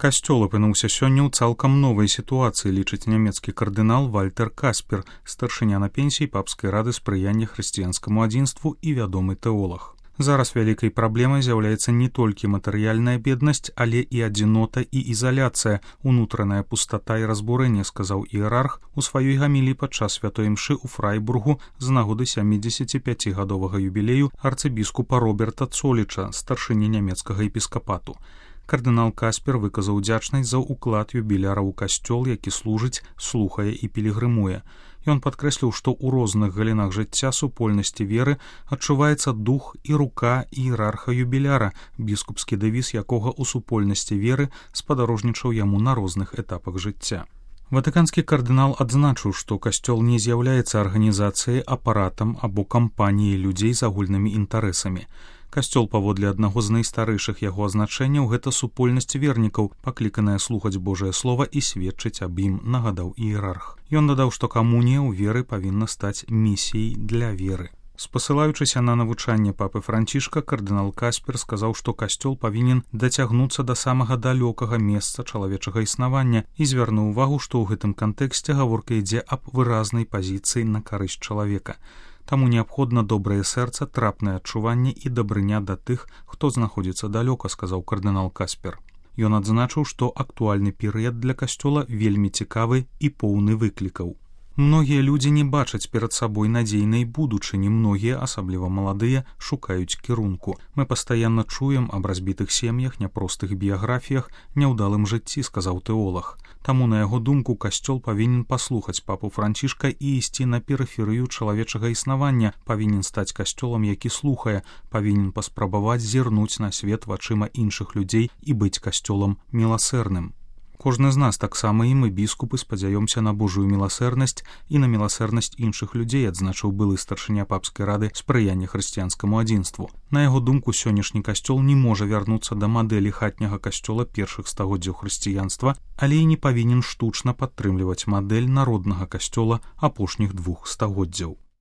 Касцёл апынуўся сёння ў цалкам новай сітуацыі, лічыць нямецкі кардынал Вальтер Каспер, старшыня на пенсіі папскай рады спрыяння хрысціянскаму адзінству і вядомы тэолаг. Зараз вялікай праблемай з'яўляецца не толькі матэрыяльная беднасць, але і адзінота і ізаляцыя, унутраная пустата і разбурэнне, сказаў іерарх у сваёй гаміліі падчас святой імшы ў Фрайбургу з нагоды 75-гадовага юбілею арцыбіскупа Роберта Цоліча, старшыні нямецкага епіскапату. Кардынал Каспер выказаў удзячнасць за ўклад юбіляра ў касцёл, які служыць, слухае і пілігрымуе. Ён падкрэсліў, што ў розных галінах жыцця супольнасці веры адчуваецца дух і рука іерарха юбіляра, біскупскі дэвіз якога ў супольнасці веры спадарожнічаў яму на розных этапах жыцця. Ватыканскі кардынал адзначыў, што касцёл не з'яўляецца арганізацыяй, апаратам або кампаніяй людзей з агульнымі інтарэсамі. Касцёл, паводле аднаго з найстарэйшых яго азначэнняў, гэта супольнасць вернікаў, пакліканая слухаць Божае слова і сведчыць аб ім, нагадаў іерарх. Ён дадаў, што камунія ў веры павінна стаць місіяй для веры. Спасылаючыся на навучанне папы Францішка, кардынал Каспер сказаў, што касцёл павінен дацягнуцца да самага далёкага месца чалавечага існавання і звярнуў увагу, што ў гэтым кантэксце гаворка ідзе аб выразнай пазіцыі на карысць чалавека. Таму неабходна добрае сэрца, трапнае адчуванне і дабрыня да тых, хто знаходзіцца далёка, сказаў кардынал Каспер. Ён адзначыў, што актуальны перыяд для касцёла вельмі цікавы і поўны выклікаў. Многія людзі не бачаць перад сабой надзейнай будучыні, многія, асабліва маладыя, шукаюць кірунку. Мы пастаянна чуем аб разбітых сем'ях, няпростых біяграфіях, няўдалым жыцці, сказаў тэолаг. Таму, на яго думку, касцёл павінен паслухаць папу Францішка і ісці на перыферыю чалавечага існавання, павінен стаць касцёлам, які слухае, павінен паспрабаваць зірнуць на свет вачыма іншых людзей і быць касцёлам міласэрным. Кожны з нас, таксама і мы, біскупы, спадзяёмся на Божую міласэрнасць і на міласэрнасць іншых людзей, адзначыў былы старшыня папскай рады спрыяння хрысціянскаму адзінству. На яго думку, сённяшні касцёл не можа вярнуцца да мадэлі хатняга касцёла першых стагоддзяў хрысціянства, але і не павінен штучна падтрымліваць мадэль народнага касцёла апошніх 2 стагоддзяў.